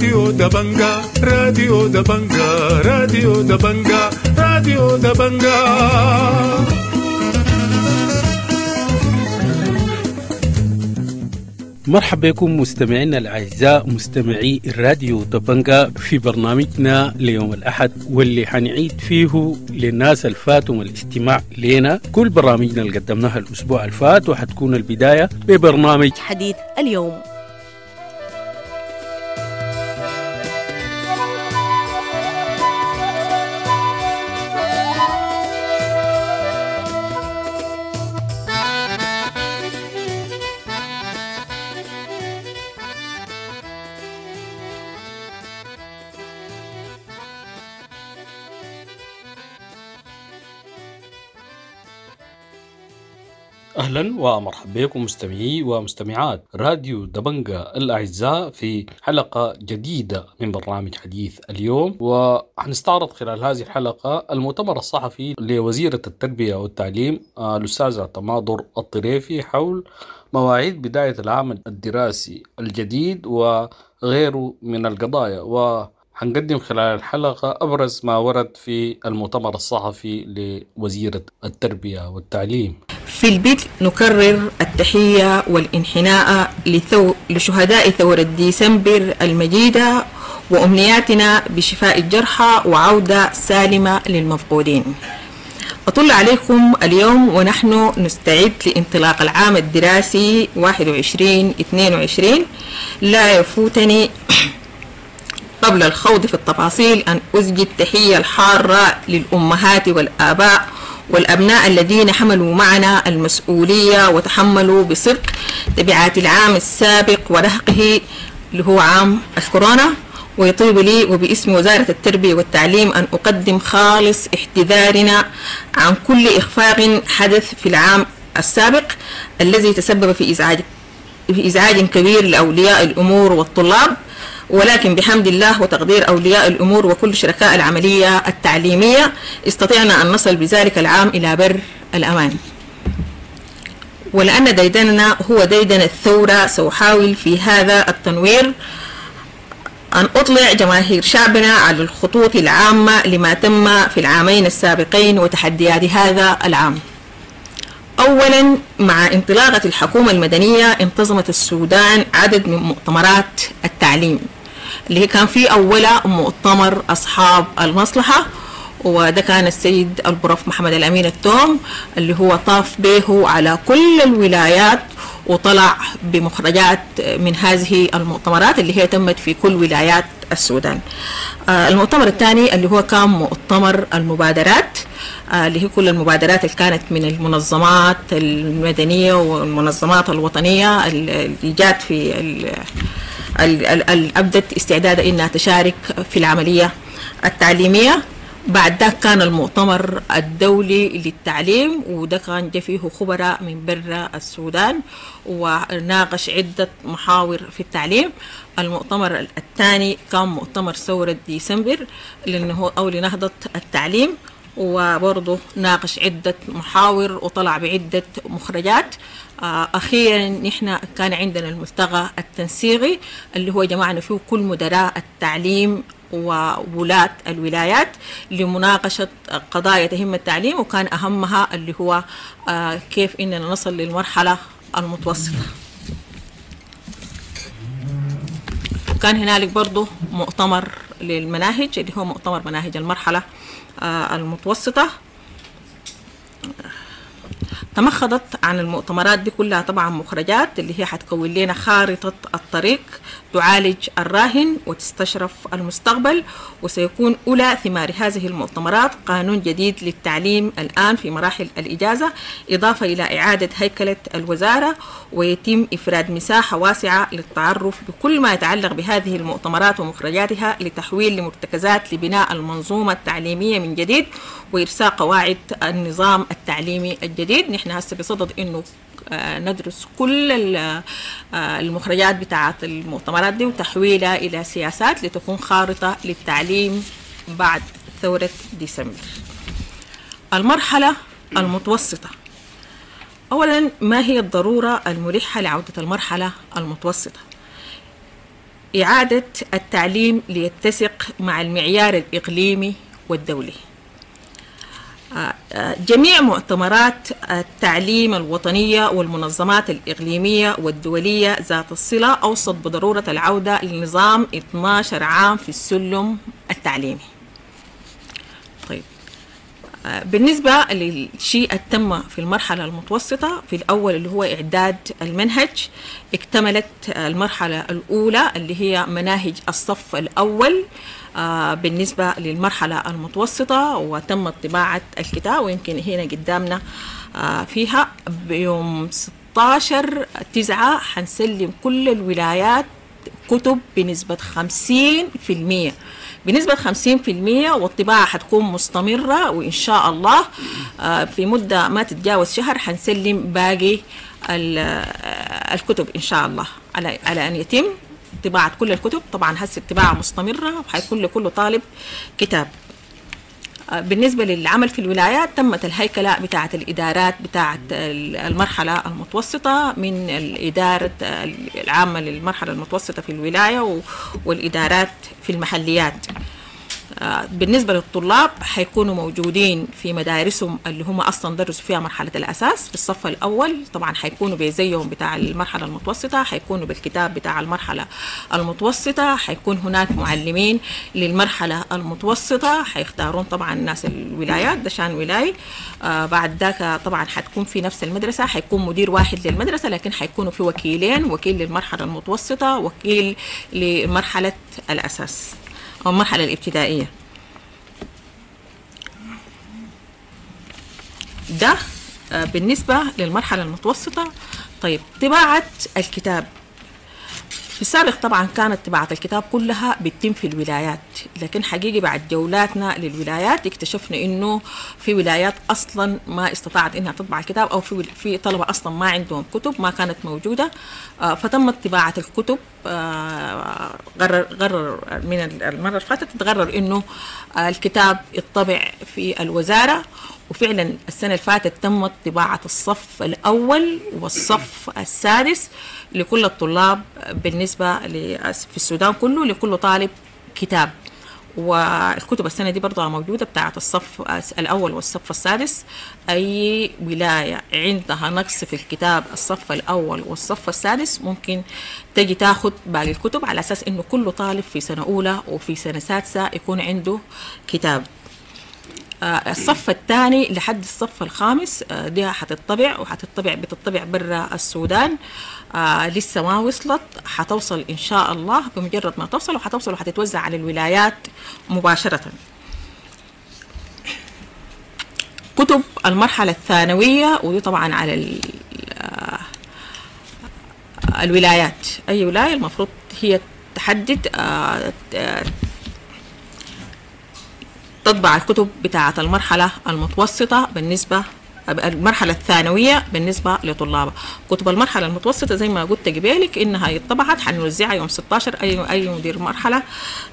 راديو دبنجا، راديو دبنجا، راديو دبنجا، راديو دبنجا. مرحبا بكم مستمعينا الأعزاء مستمعي الراديو دبنجا في برنامجنا ليوم الأحد، واللي حنعيد فيه للناس الفاتهم الاستماع لنا كل برامجنا اللي قدمناها الأسبوع الفات، وحتكون البداية ببرنامج حديث اليوم. أهلا ومرحبا بكم مستمعي ومستمعات راديو دبنجا الأعزاء في حلقة جديدة من برنامج حديث اليوم، وحنستعرض خلال هذه الحلقة المؤتمر الصحفي لوزيرة التربية والتعليم الأستاذة تماضر الطريفي حول مواعيد بداية العام الدراسي الجديد وغيره من القضايا، وحنقدم خلال الحلقة أبرز ما ورد في المؤتمر الصحفي لوزيرة التربية والتعليم. في البدء نكرر التحية والانحناء لشهداء ثورة ديسمبر المجيدة، وأمنياتنا بشفاء الجرحى وعودة سالمة للمفقودين. أطل عليكم اليوم ونحن نستعد لانطلاق العام الدراسي 21-22. لا يفوتني قبل الخوض في التفاصيل أن أزجي التحية الحارة للأمهات والآباء والأبناء الذين حملوا معنا المسؤولية وتحملوا بصدق تبعات العام السابق ورهقه اللي هو عام الكورونا. ويطيب لي وباسم وزارة التربية والتعليم أن أقدم خالص احتذارنا عن كل إخفاق حدث في العام السابق الذي تسبب في إزعاج كبير لأولياء الأمور والطلاب، ولكن بحمد الله وتقدير أولياء الأمور وكل شركاء العملية التعليمية استطعنا أن نصل بذلك العام إلى بر الأمان. ولأن ديدننا هو ديدن الثورة، سأحاول في هذا التنوير أن أطلع جماهير شعبنا على الخطوط العامة لما تم في العامين السابقين وتحديات هذا العام. أولا، مع انطلاقة الحكومة المدنية انتظمت السودان عدد من مؤتمرات التعليم، اللي هي كان في أولها مؤتمر أصحاب المصلحة، وده كان السيد البروف محمد الأمين التوم اللي هو طاف به على كل الولايات وطلع بمخرجات من هذه المؤتمرات اللي هي تمت في كل ولايات السودان. المؤتمر الثاني اللي هو كان مؤتمر المبادرات، اللي هي كل المبادرات اللي كانت من المنظمات المدنية والمنظمات الوطنية اللي جات في أبدت استعدادها إنها تشارك في العملية التعليمية. بعد ذاك كان المؤتمر الدولي للتعليم، وده كان جا فيه خبراء من برا السودان وناقش عدة محاور في التعليم. المؤتمر الثاني كان مؤتمر ثورة ديسمبر لأنه أو لنهضة التعليم، وبرضه ناقش عدة محاور وطلع بعدة مخرجات. أخيرا نحن كان عندنا الملتقى التنسيقي اللي هو جمعنا فيه كل مدراء التعليم وولاة الولايات لمناقشة قضايا تهم التعليم، وكان أهمها اللي هو كيف إننا نصل للمرحلة المتوسطة. وكان هنالك برضه مؤتمر للمناهج اللي هو مؤتمر مناهج المرحلة المتوسطة. تمخضت عن المؤتمرات دي كلها طبعا مخرجات اللي هي حتكون لنا خارطة الطريق تعالج الراهن وتستشرف المستقبل، وسيكون أولى ثمار هذه المؤتمرات قانون جديد للتعليم الآن في مراحل الإجازة، إضافة إلى إعادة هيكلة الوزارة، ويتم إفراد مساحة واسعة للتعرف بكل ما يتعلق بهذه المؤتمرات ومخرجاتها لتحويل لمرتكزات لبناء المنظومة التعليمية من جديد وإرساء قواعد النظام التعليمي الجديد. نحن هسه بصدد إنه ندرس كل المخرجات بتاعة المؤتمرات دي وتحويلها إلى سياسات لتكون خارطة للتعليم بعد ثورة ديسمبر. المرحلة المتوسطة. أولا، ما هي الضرورة الملحة لعودة المرحلة المتوسطة؟ إعادة التعليم ليتسق مع المعيار الإقليمي والدولي. جميع مؤتمرات التعليم الوطنية والمنظمات الإقليمية والدولية ذات الصلة أوصت بضرورة العودة لنظام 12 عام في السلم التعليمي. طيب، بالنسبة للشيء التم في المرحلة المتوسطة، في الأول اللي هو إعداد المنهج، اكتملت المرحلة الأولى اللي هي مناهج الصف الأول بالنسبة للمرحلة المتوسطة، وتمت طباعة الكتاب، ويمكن هنا قدامنا فيها بيوم 16/9 حنسلم كل الولايات كتب بنسبة 50%، بنسبة 50%، والطباعة حتكون مستمرة، وإن شاء الله في مدة ما تتجاوز شهر حنسلم باقي الكتب إن شاء الله، على أن يتم طباعة كل الكتب. طبعا هسه الطباعة مستمرة وحيكون لكل طالب كتاب. بالنسبة للعمل في الولايات، تمت الهيكلة بتاعة الإدارات بتاعة المرحلة المتوسطة، من الإدارة العامة للمرحلة المتوسطة في الولاية والإدارات في المحليات. بالنسبة للطلاب حيكونوا موجودين في مدارسهم اللي هم أصلا درسوا فيها مرحلة الأساس في الصف الأول، طبعا حيكونوا بزيهم بتاع المرحلة المتوسطة، حيكونوا بالكتاب بتاع المرحلة المتوسطة، حيكون هناك معلمين للمرحلة المتوسطة حيختارون طبعا ناس الولايات، ده شان ولاي. بعد ذاك طبعا حتكون في نفس المدرسة، حيكون مدير واحد للمدرسة، لكن حيكونوا في وكيلين، وكيل للمرحلة المتوسطة، وكيل لمرحلة الأساس أو المرحلة الابتدائية. ده بالنسبة للمرحلة المتوسطة. طيب، طباعة الكتاب في السابق طبعا كانت طباعة الكتاب كلها بتتم في الولايات، لكن حقيقي بعد جولاتنا للولايات اكتشفنا انه في ولايات اصلا ما استطاعت انها تطبع الكتاب، او في طلبة اصلا ما عندهم كتب، ما كانت موجودة، فتمت طباعة الكتب. قرر من المرة اللي فاتت تقرر انه الكتاب يطبع في الوزارة، وفعلا السنة اللي فاتت تمت طباعة الصف الأول والصف السادس لكل الطلاب بالنسبة في السودان كله، لكل طالب كتاب. والكتب السنة دي برضها موجودة بتاعة الصف الأول والصف السادس. أي ولاية عندها نقص في الكتاب الصف الأول والصف السادس ممكن تجي تاخد باقي الكتب، على أساس إنه كل طالب في سنة أولى وفي سنة سادسة يكون عنده كتاب. الصف الثاني لحد الصف الخامس دي حتطبع، وحتطبع بتطبع برا السودان، لسه ما وصلت، حتوصل إن شاء الله بمجرد ما توصل، وحتوصل وحتتوزع على الولايات مباشرة. كتب المرحلة الثانوية، ودي طبعا على الولايات، أي ولاية المفروض هي تحدد تطبع الكتب بتاعة المرحلة المتوسطة بالنسبة المرحلة الثانوية بالنسبة لطلابها. كتب المرحلة المتوسطة زي ما قلت قبالك إنها اتطبعت، حنوزعها يوم 16، أي مدير مرحلة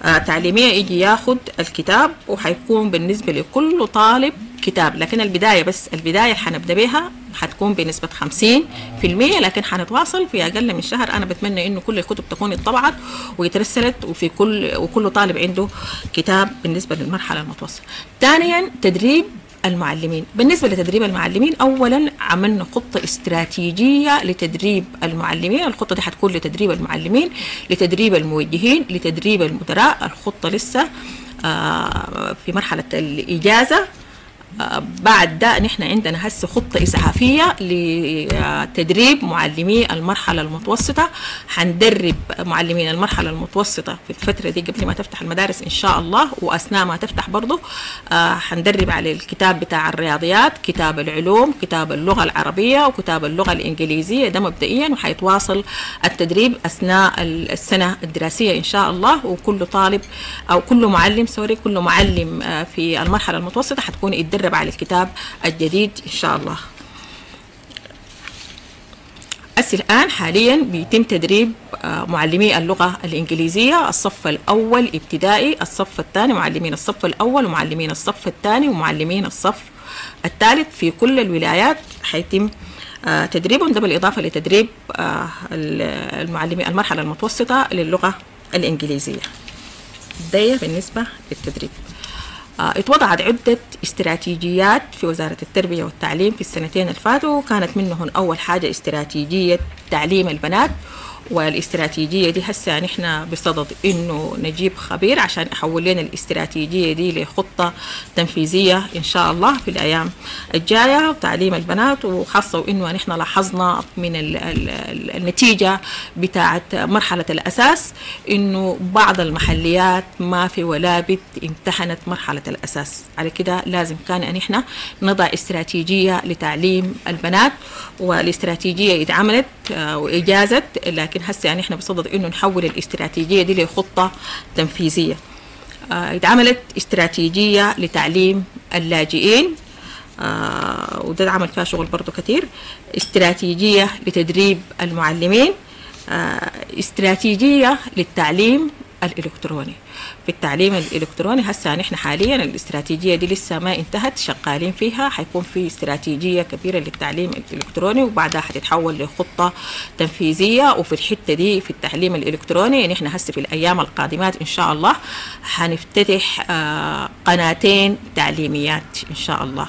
تعليمية يجي ياخد الكتاب، وحيكون بالنسبة لكل طالب كتاب. لكن البداية، بس البداية حنبدأ بها حتكون بنسبة 50%، لكن حنتواصل في أقل من شهر. أنا بتمنى إنه كل الكتب تكون اتطبعت ويترسلت، وفي وكل طالب عنده كتاب بالنسبة للمرحلة المتوسطة. ثانيا، تدريب المعلمين. بالنسبة لتدريب المعلمين، أولا عملنا خطة استراتيجية لتدريب المعلمين. الخطة دي حتكون لتدريب المعلمين، لتدريب الموجهين، لتدريب المدراء. الخطة لسه في مرحلة الإجازة. بعد ده نحن عندنا هسه خطة إسعافية لتدريب معلمي المرحلة المتوسطة. حندرب معلمين المرحلة المتوسطة في الفترة دي قبل ما تفتح المدارس إن شاء الله، وأثناء ما تفتح برضو حندرب على الكتاب بتاع الرياضيات، كتاب العلوم، كتاب اللغة العربية، وكتاب اللغة الإنجليزية، ده مبدئيا. وحيتواصل التدريب أثناء السنة الدراسية إن شاء الله. وكل طالب أو كل معلم كل معلم في المرحلة المتوسطة حتكون يتدرب على الكتاب الجديد إن شاء الله. الآن حاليا بيتم تدريب معلمي اللغة الإنجليزية، الصف الأول ابتدائي، الصف الثاني، معلمين الصف الأول ومعلمين الصف الثاني ومعلمين الصف الثالث في كل الولايات حيتم تدريبهم، ده بالإضافة لتدريب المعلمين المرحلة المتوسطة للغة الإنجليزية. ده بالنسبة للتدريب. اتوضعت عدة استراتيجيات في وزارة التربية والتعليم في السنتين اللي فاتوا، كانت منهن أول حاجة استراتيجية تعليم البنات، والاستراتيجية دي هسه نحن بصدد إنه نجيب خبير عشان يحول لنا الاستراتيجية دي لخطة تنفيذية إن شاء الله في الأيام الجاية. تعليم البنات، وخاصة وإنه نحن لاحظنا من ال ال ال النتيجة بتاعة مرحلة الأساس إنه بعض المحليات ما في ولا بت امتحنت مرحلة الأساس. على كده لازم كان أن نحن نضع استراتيجية لتعليم البنات، والاستراتيجية اتعملت وإجازت، لكن هسه يعني احنا بصدد انه نحول الاستراتيجية دي لخطة تنفيذية. اتعملت استراتيجية لتعليم اللاجئين، وده اتعمل فيها شغل برضو كتير. استراتيجية لتدريب المعلمين، استراتيجية للتعليم الإلكتروني. في التعليم الإلكتروني هسه نحن حاليا الاستراتيجية دي لسه ما انتهت، شغالين فيها. حيكون في استراتيجية كبيرة للتعليم الإلكتروني، وبعدها حتتحول لخطة تنفيذية. وفي الحتة دي في التعليم الإلكتروني نحن هسه في الأيام القادمات إن شاء الله حنفتتح قناتين تعليميات إن شاء الله.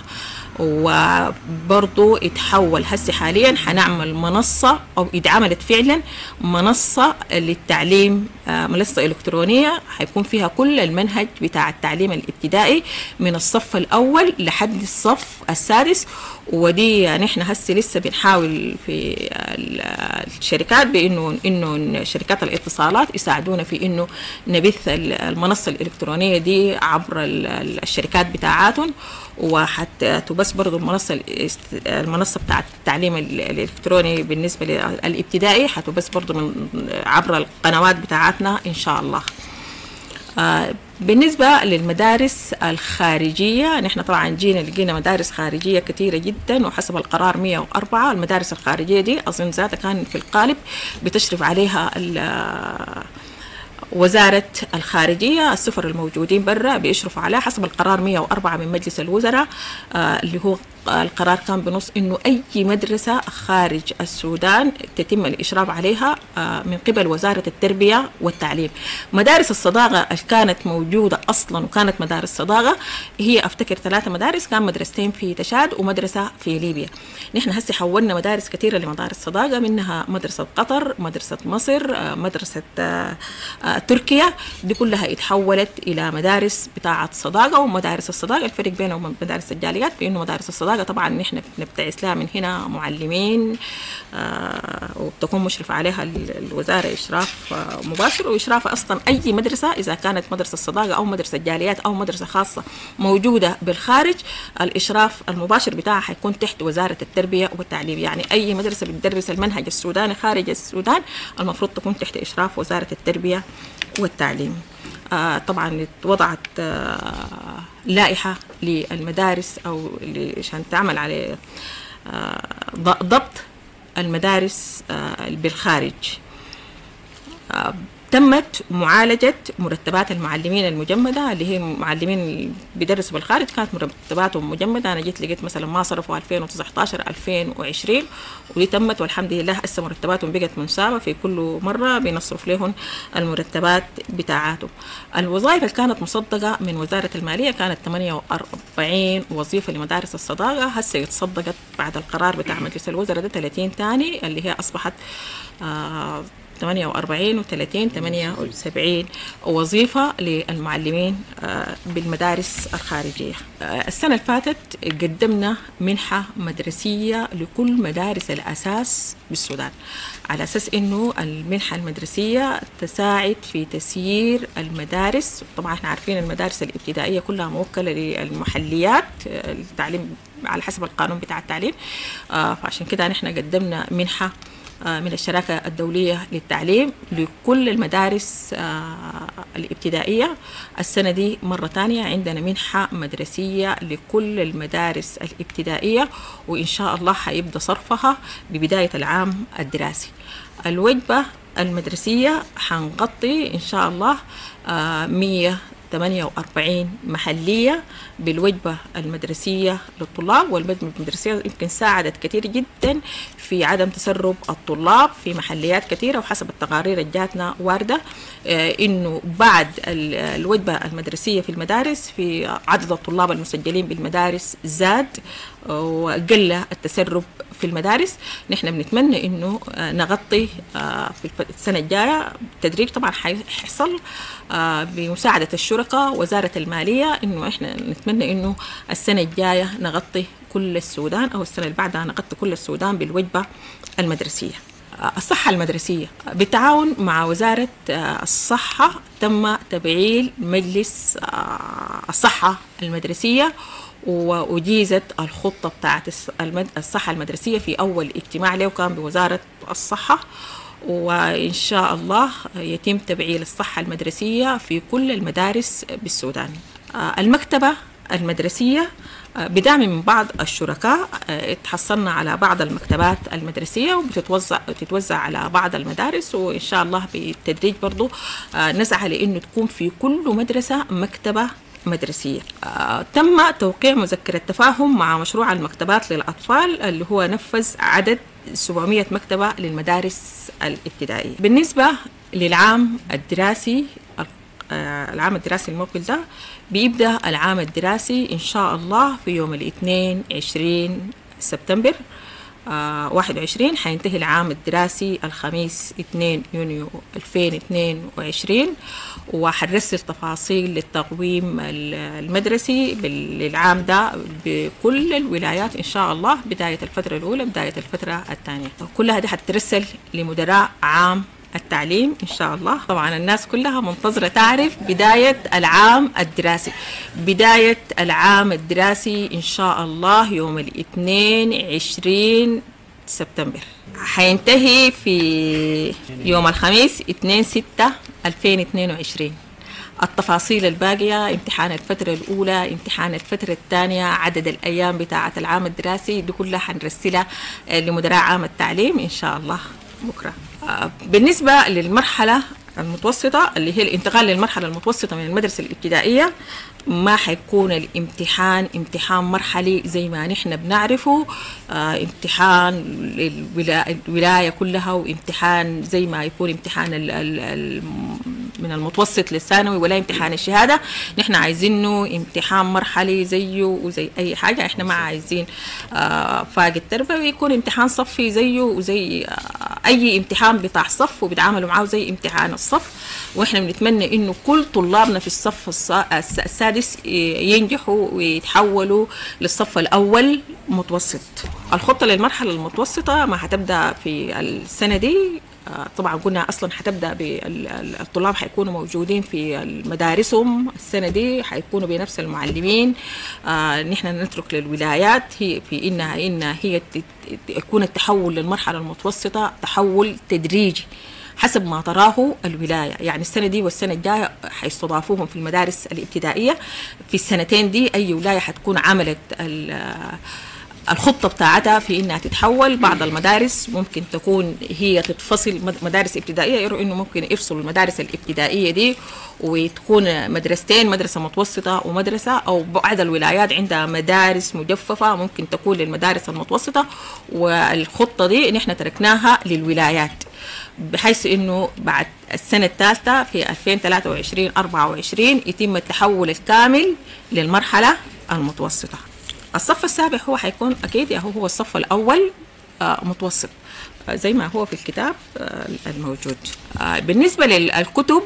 وبرضو اتحول هسه حاليا حنعمل منصة، أو اتعملت فعلا منصة للتعليم، منصة إلكترونية حيكون فيها كل المنهج بتاع التعليم الابتدائي من الصف الأول لحد الصف السادس. ودي نحن هسه لسه بنحاول في الشركات بإنه شركات الاتصالات يساعدونا في إنه نبث المنصة الإلكترونية دي عبر الشركات بتاعاتهم. وحتبث برضو المنصة بتاعت التعليم الإلكتروني بالنسبة للابتدائي حتبث برضو من عبر القنوات بتاعتنا إن شاء الله. بالنسبة للمدارس الخارجية، نحن طبعا جينا لقينا مدارس خارجية كثيرة جدا، وحسب القرار 104 المدارس الخارجية دي أظن ذاتها كان في القالب بتشرف عليها وزارة الخارجية، السفر الموجودين برا بيشرفوا عليها حسب القرار 104 من مجلس الوزراء، اللي هو القرار كان بنص إنه أي مدرسة خارج السودان تتم الإشراف عليها من قبل وزارة التربية والتعليم. مدارس الصداقة اللي كانت موجودة أصلا وكانت مدارس صداقة هي أفتكر 3 مدارس، كان مدرستين في تشاد ومدرسة في ليبيا. نحن هسه حولنا مدارس كثيرة لمدارس صداقة، منها مدرسة قطر، مدرسة مصر، مدرسة تركيا، دي كلها اتحولت إلى مدارس بتاعة صداقة. ومدارس الصداقة الفرق بينهم وبين مدارس الجاليات في إنه مدارس الصداقة طبعا نحن بنبتعث لها من هنا معلمين، وبتكون مشرف عليها الوزارة إشراف مباشر، وإشراف أصلا أي مدرسة إذا كانت مدرسة الصداقة أو مدرسة جاليات أو مدرسة خاصة موجودة بالخارج، الإشراف المباشر بتاعها حيكون تحت وزارة التربية والتعليم. يعني أي مدرسة بتدرس المنهج السوداني خارج السودان المفروض تكون تحت إشراف وزارة التربية والتعليم. طبعا وضعت لائحة للمدارس أو عشان تعمل على ضبط المدارس بالخارج. تمت معالجة مرتبات المعلمين المجمدة، اللي هي معلمين بيدرسوا بالخارج كانت مرتباتهم مجمدة. أنا جيت لقيت مثلا ما صرفوا 2019 2020، ودي تمت والحمد لله هسه مرتباتهم بقت منسابة، في كل مرة بنصرف لهم المرتبات بتاعاتهم. الوظائف اللي كانت مصدقة من وزارة المالية كانت 48 وظيفة لمدارس الصداقة، هسه اتصدقت بعد القرار بتاع مجلس الوزراء ده 30 تاني، اللي هي أصبحت 48 و30 78 وظيفة للمعلمين بالمدارس الخارجية. السنة اللي فاتت قدمنا منحة مدرسية لكل مدارس الأساس بالسودان، على أساس إنه المنحة المدرسية تساعد في تسيير المدارس. طبعا احنا عارفين المدارس الابتدائية كلها موكلة للمحليات، التعليم على حسب القانون بتاع التعليم، فعشان كده نحن قدمنا منحة من الشراكة الدولية للتعليم لكل المدارس الابتدائية. السنة دي مرة تانية عندنا منحة مدرسية لكل المدارس الابتدائية، وإن شاء الله حيبدأ صرفها ببداية العام الدراسي. الوجبة المدرسية حنغطي إن شاء الله 100 48 محلية بالوجبة المدرسية للطلاب. والوجبة المدرسية يمكن ساعدت كثير جدا في عدم تسرب الطلاب في محليات كثيرة، وحسب التقارير اللي جاتنا واردة إنه بعد الوجبة المدرسية في المدارس في عدد الطلاب المسجلين بالمدارس زاد وقل التسرب في المدارس. نحن بنتمنى إنه نغطي في السنة الجاية تدريج، طبعا حيحصل بمساعدة الشركاء وزارة المالية، إنه إحنا نتمنى إنه السنة الجاية نغطي كل السودان، أو السنة اللي بعدها نغطي كل السودان بالوجبة المدرسية. الصحة المدرسية بالتعاون مع وزارة الصحة تم تفعيل مجلس الصحة المدرسية، وأجيزت الخطة بتاعت الصحة المدرسية في أول اجتماع له كان بوزارة الصحة، وإن شاء الله يتم تفعيل الصحة المدرسية في كل المدارس بالسودان. المكتبة المدرسية بدعم من بعض الشركاء تحصلنا على بعض المكتبات المدرسية، وبتتوزع على بعض المدارس، وإن شاء الله بالتدريج برضو نسعى لأنه تكون في كل مدرسة مكتبة مدرسية. تم توقيع مذكرة تفاهم مع مشروع المكتبات للأطفال اللي هو نفذ عدد 700 مكتبة للمدارس الابتدائية. بالنسبة للعام الدراسي، العام الدراسي المقبل ده بيبدأ العام الدراسي إن شاء الله في يوم الاثنين 20 سبتمبر 21، حينتهي العام الدراسي الخميس 2 يونيو 2022، وحنرسل تفاصيل للتقويم المدرسي للعام ده بكل الولايات إن شاء الله، بداية الفترة الأولى بداية الفترة الثانية، كلها دي حترسل لمدراء عام التعليم إن شاء الله. طبعا الناس كلها منتظرة تعرف بداية العام الدراسي. بداية العام الدراسي إن شاء الله يوم الاثنين 20 سبتمبر، حينتهي في يوم الخميس 2/6/2022. التفاصيل الباقية، امتحان الفترة الأولى، امتحان الفترة الثانية، عدد الأيام بتاعة العام الدراسي، دي كلها حنرسلها لمدراء عام التعليم إن شاء الله بكرة. بالنسبة للمرحلة المتوسطة اللي هي الانتقال للمرحلة المتوسطة من المدرسة الابتدائية، ما حيكون الامتحان امتحان مرحلي زي ما نحن بنعرفه، امتحان الولاية كلها، وامتحان زي ما يكون امتحان من المتوسط للثانوي، ولا امتحان الشهادة. نحن عايزينه امتحان مرحلي زيه وزي أي حاجة، احنا ما عايزين فاقد تربوي، يكون امتحان صفي زيه وزي أي امتحان بتاع صف، وبيتعاملوا معاه زي امتحان الصف. واحنا بنتمنى انه كل طلابنا في الصف السادس ينجحوا ويتحولوا للصف الأول متوسط. الخطة للمرحلة المتوسطة ما هتبدأ في السنة دي، طبعا قلنا اصلا حتبدا بالطلاب حيكونوا موجودين في مدارسهم السنه دي، حيكونوا بنفس المعلمين. نحن نترك للولايات هي في انها هي يكون التحول للمرحله المتوسطه تحول تدريجي حسب ما تراه الولاية. يعني السنة دي والسنة الجاية حيستضافوهم في المدارس الابتدائية. في السنتين دي أي ولاية حتكون عملت الخطة بتاعتها في إنها تتحول. بعض المدارس ممكن تكون هي تتفصل مدارس ابتدائية، يروا إنه ممكن يفصلوا المدارس الابتدائية دي وتكون مدرستين، مدرسة متوسطة ومدرسة، أو بعض الولايات عندها مدارس مجففة ممكن تكون للمدارس المتوسطة. والخطة دي نحن تركناها للولايات بحيث إنه بعد السنة الثالثة في 2023-24 يتم التحول الكامل للمرحلة المتوسطة. الصف السابع هو حيكون أكيد هو الصف الأول متوسط زي ما هو في الكتاب الموجود. بالنسبة للكتب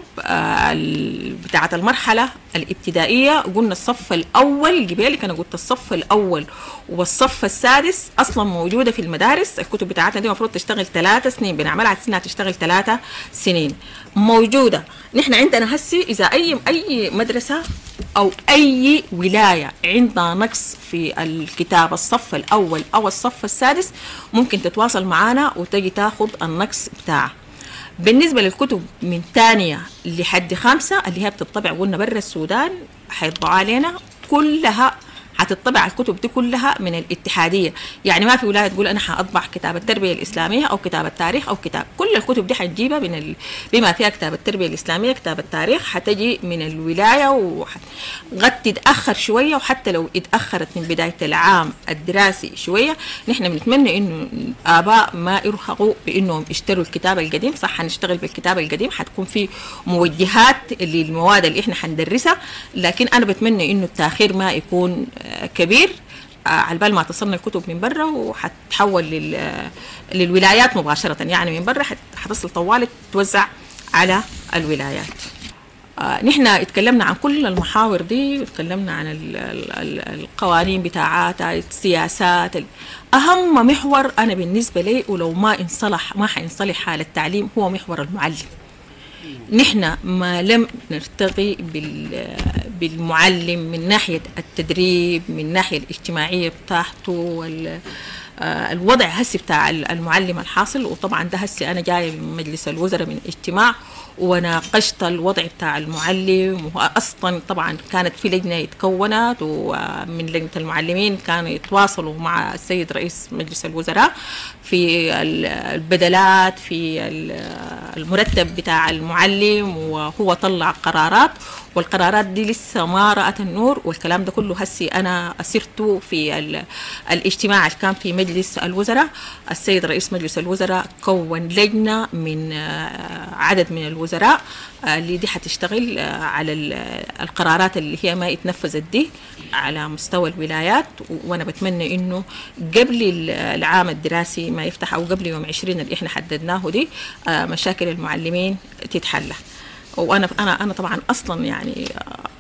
بتاعة المرحلة الابتدائية، قلنا الصف الأول قبالك، أنا قلت الصف الأول والصف السادس أصلا موجودة في المدارس. الكتب بتاعتنا دي المفروض تشتغل 3 سنين، بنعملها على إنها تشتغل 3 سنين موجودة. نحن عندنا هسي إذا أي مدرسة أو أي ولاية عندها نقص في الكتاب الصف الأول أو الصف السادس ممكن تتواصل معنا وتجي تاخد النقص بتاعها. بالنسبة للكتب من 2 لحد 5 اللي هي بتطبع قلنا برا السودان، حيطبعوا علينا كلها حتطبع الكتب دي كلها من الاتحادية، يعني ما في ولاية تقول انا حاطبع كتاب التربية الاسلامية او كتاب التاريخ او كتاب، كل الكتب دي حتجيبها من بما فيها كتاب التربية الاسلامية، كتاب التاريخ، حتجي من الولاية، وقد تتاخر شوية، وحتى لو اتاخرت من بداية العام الدراسي شوية، نحن بنتمنى انه الاباء ما يرهقوا بانهم يشتروا الكتاب القديم. صح حنشتغل بالكتاب القديم، حتكون في موجهات للمواد اللي احنا حندرسها، لكن انا بتمنى انه التاخير ما يكون كبير على بال ما تصلنا الكتب من برا، وحتحول للولايات مباشرة، يعني من برا حتصل طوال توزع على الولايات. نحن اتكلمنا عن كل المحاور دي، اتكلمنا عن القوانين بتاعاتها، السياسات. أهم محور أنا بالنسبة لي ولو ما انصلح ما حينصلح حال التعليم هو محور المعلم. نحن ما لم نرتقي بالمعلم من ناحية التدريب، من ناحية الاجتماعية بتاعته، الوضع هسي بتاع المعلم الحاصل. وطبعا ده هسي أنا جاية من مجلس الوزراء من اجتماع وناقشت الوضع بتاع المعلم، وأصلا طبعا كانت في لجنة اتكونت، ومن لجنة المعلمين كانوا يتواصلوا مع السيد رئيس مجلس الوزراء في البدلات، في المرتب بتاع المعلم، وهو طلع قرارات، والقرارات دي لسه ما رأت النور. والكلام ده كله هسي أنا أسرته في الاجتماع اللي كان في مجلس الوزراء. السيد رئيس مجلس الوزراء كون لجنة من عدد من الوزراء اللي دي حتشتغل على القرارات اللي هي ما اتنفذت دي على مستوى الولايات. وأنا بتمنى إنه قبل العام الدراسي ما يفتح أو قبل يوم 20 اللي إحنا حددناه دي مشاكل المعلمين تتحل. وانا انا انا طبعا اصلا يعني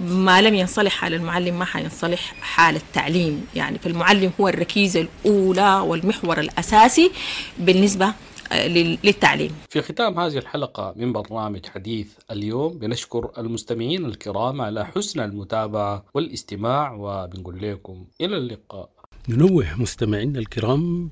ما لم ينصلح حال المعلم ما حينصلح حال التعليم، يعني فالمعلم هو الركيزة الاولى والمحور الاساسي بالنسبة للتعليم. في ختام هذه الحلقة من برنامج حديث اليوم بنشكر المستمعين الكرام على حسن المتابعة والاستماع، وبنقول لكم الى اللقاء. ننوه مستمعينا الكرام،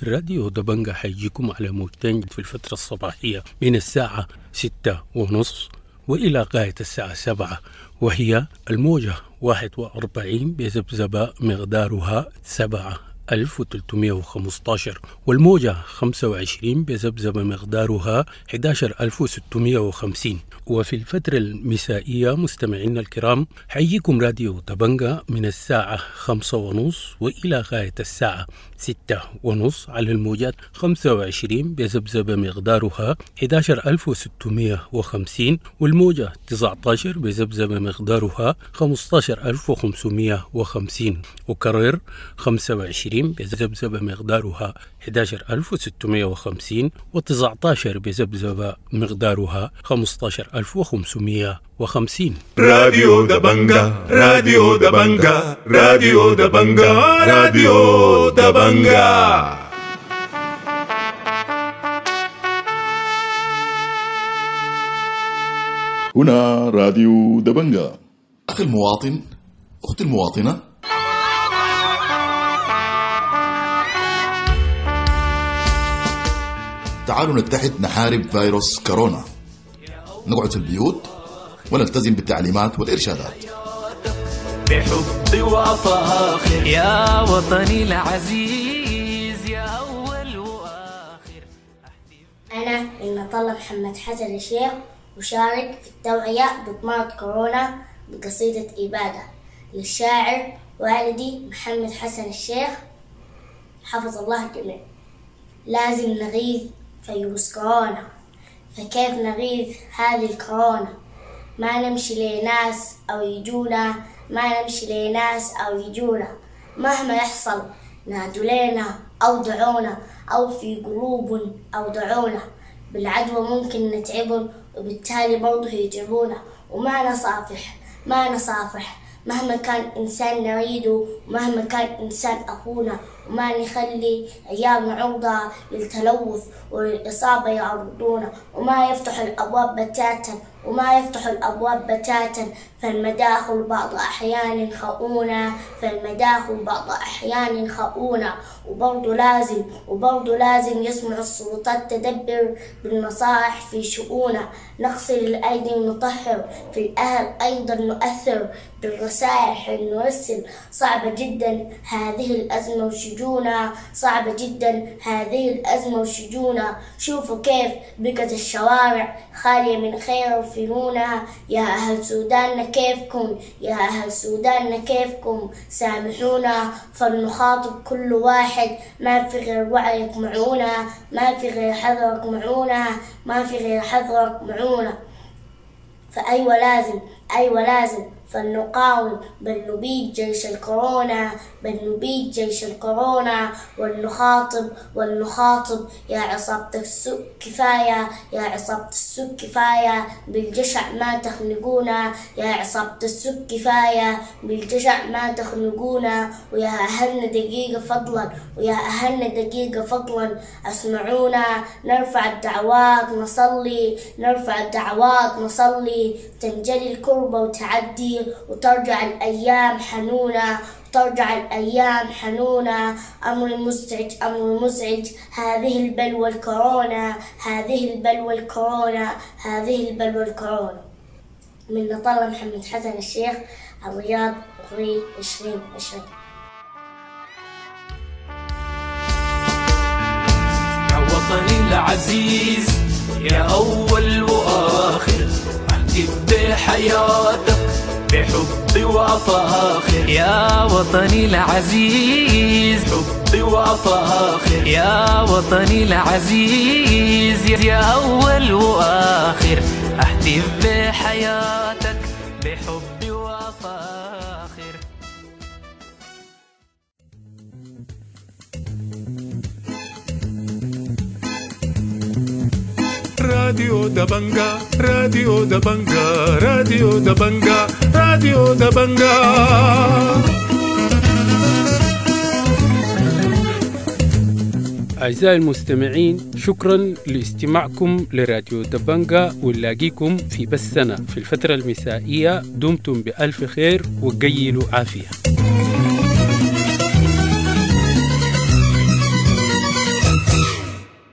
راديو دبنجة حيجيكم على موجتين في الفترة الصباحية من الساعة 6:30 وإلى غاية الساعة 7، وهي الموجة 41 بذبذبة مقدارها 7315، والموجة 25 بذبذبة مقدارها 11650. وفي الفترة المسائية مستمعينا الكرام حيجيكم راديو دبنجة من الساعة 5:30 وإلى غاية الساعة 6:30 على الموجات 25 بذبذبة مقدارها 11650، والموجة 19 بذبذبة مقدارها 15550. وكرر 25 بذبذبة مقدارها 11650، و19 بذبذبة مقدارها 15550. راديو دبنجة، راديو دبنجة، راديو دبنجة، راديو دبنجة. هنا راديو دبنجة. أخي المواطن، أختي المواطنة، تعالوا نتحد نحارب فيروس كورونا، نقعد في البيوت ونلتزم بالتعليمات والإرشادات. بحب وفاخر يا وطني العزيز، يا أول وآخر. أنا إن طلب محمد حسن الشيخ وشارك في التوعية ضد مرض كورونا بقصيدة إبادة للشاعر والدي محمد حسن الشيخ، حفظ الله الجميع. لازم نغيظ فيروس كورونا، فكيف نغيظ هذه الكورونا؟ ما نمشي لناس أو يجونا، ما نمشي لناس أو يجونا، مهما يحصل نادوا لنا أو دعونا، أو في قلوب أو دعونا، بالعدوى ممكن نتعبهم وبالتالي برضه يتعبونا. وما نصافح، ما نصافح مهما كان إنسان نريده، ومهما كان إنسان أخونا، وما نخلي عيالنا عرضة للتلوث وللإصابة يعرضونا، وما يفتح الأبواب بتاتا، وما يفتحوا الأبواب بتاتا. فالمداخل بعض أحيان خؤونة، فالمداخل بعض أحيان خؤونة. وبرضو لازم يسمع السلطات تدبر بالنصائح في شؤونة. نغسل الأيدي ونطهر، في الأهل أيضا نؤثر بالرسائل نرسل. صعبة جدا هذه الأزمة وشجونة، صعبة جدا هذه الأزمة وشجونة. شوفوا كيف بقت الشوارع خالية من خير وفنونة. يا أهل سوداننا كيفكم، يا أهل سوداننا كيفكم، سامحونا. فلنخاطب كل واحد، ما في غير وعيك معونة، ما في غير حذرك معونة، ما في غير حذرك معونة. فأيوة لازم، أيوة لازم فلنقاوم، بل نبيد جيش الكورونا، بل نبيد جيش الكورونا. ولنخاطب يا عصابة السوء كفاية، يا عصابة السوء كفاية، بالجشع ما تخنقونا، يا عصابة السوء كفاية، بالجشع ما تخنقونا. ويا أهلنا دقيقة فضلا، ويا أهلنا دقيقة فضلا أسمعونا. نرفع الدعوات نصلي، نرفع الدعوات نصلي، تنجلي الكربة وتعدي، وترجع الأيام حنونة، ترجع الأيام حنونة. أمر مزعج، أمر مزعج، هذه البلوى الكورونا، هذه البلوى الكورونا، هذه البلوى الكورونا. من نطلة محمد حسن الشيخ، الرياض، أبريل 2020. يا وطني العزيز، يا أول وآخر، أهتف بحياتك بحبي وأفاخر. يا وطني العزيز، حبي وأفاخر. يا وطني العزيز، يا أول وآخر، أهتف بحياتك بحبي وأفاخر. راديو دبنجا، راديو دبنجا، راديو دبنجا، راديو دبنجا. أعزائي المستمعين، شكرا لاستماعكم لراديو دبنجا، ونلاقيكم في بثنا في الفترة المسائية. دمتم بألف خير وقيلوا عافية.